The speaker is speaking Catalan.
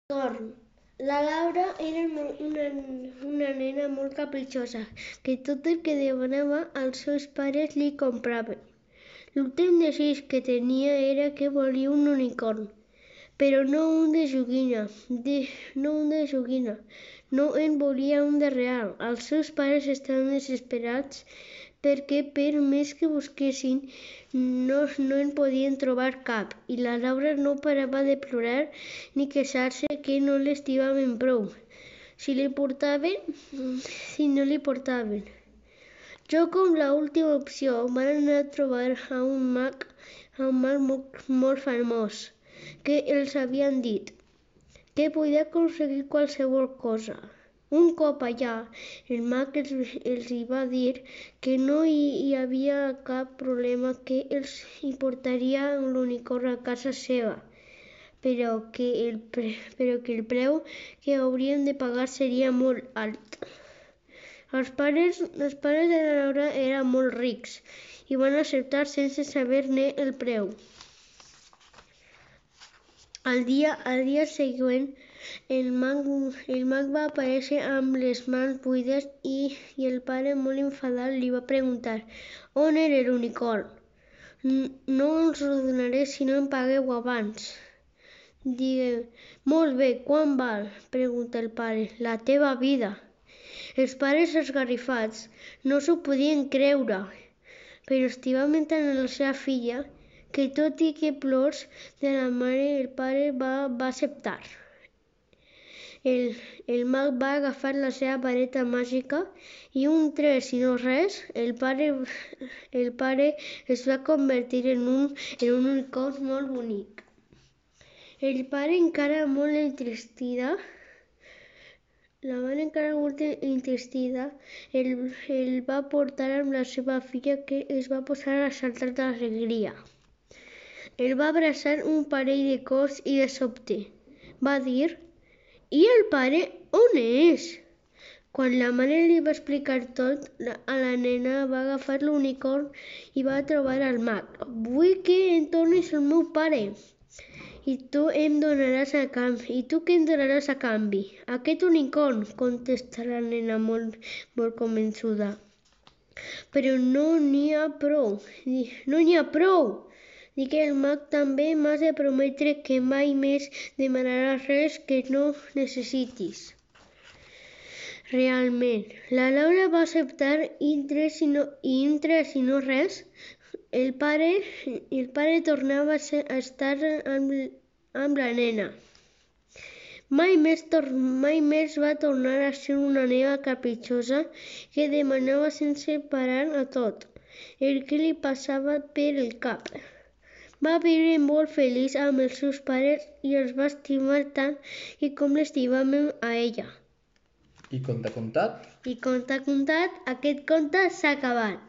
Torn. La Laura era una nena molt capritxosa, que tot el que demanava els seus pares li compraven. L'últim desig que tenia era que volia un unicorn, però no un de joguina, no en volia un de real. Els seus pares estaven desesperats perquè per més que busquessin no en podien trobar cap, i la Laura no parava de plorar ni queixar-se que no l'estimaven prou si no li portaven. Jo, com la última opció, van anar a trobar a un mag molt famós, que els havien dit que podia aconseguir qualsevol cosa. Un cop allà, el mag els va dir que no hi havia cap problema, que els hi portaria l'unicorn a casa seva, però que el preu que haurien de pagar seria molt alt. Els pares de la Laura eren molt rics i van acceptar sense saber-ne el preu. Al dia següent, el mag va aparèixer amb les mans buides i el pare, molt enfadat, li va preguntar on era l'unicorn. No us ho donaré si no em pagueu abans. Digueu, molt bé, quant val? Pregunta el pare. La teva vida. Els pares esgarrifats no s'ho podien creure, però estimaven tant a la seva filla que tot i que plors de la mare, el pare va acceptar. El mag va agafar la seva vareta màgica i un tres i no res, el pare es va convertir en un unicorn molt bonic. El pare, encara molt entristida, el va portar amb la seva filla, que es va posar a saltar d'alegria. El va abraçar un parell de cops i de sobte va dir: "I el pare on és?" Quan la mare li va explicar tot, a la nena va agafar l'unicorn i va trobar al mag. "Vull que em tornis el meu pare. I tu què em donaràs a canvi?" "Aquest unicorn", contesta la nena molt convençuda. "Però no n'hi ha prou. Dic que el mag també m'has de prometre que mai més demanaràs res que no necessitis." Realment, la Laura va acceptar i en tres i no res, el pare tornava a estar amb la nena. Mai més va tornar a ser una nena capritxosa que demanava sense parar a tot el que li passava per el cap. Va viure molt feliç amb els seus pares i els va estimar tant com l'estimaven a ella. I conte contat? I conte contat, aquest conte s'ha acabat.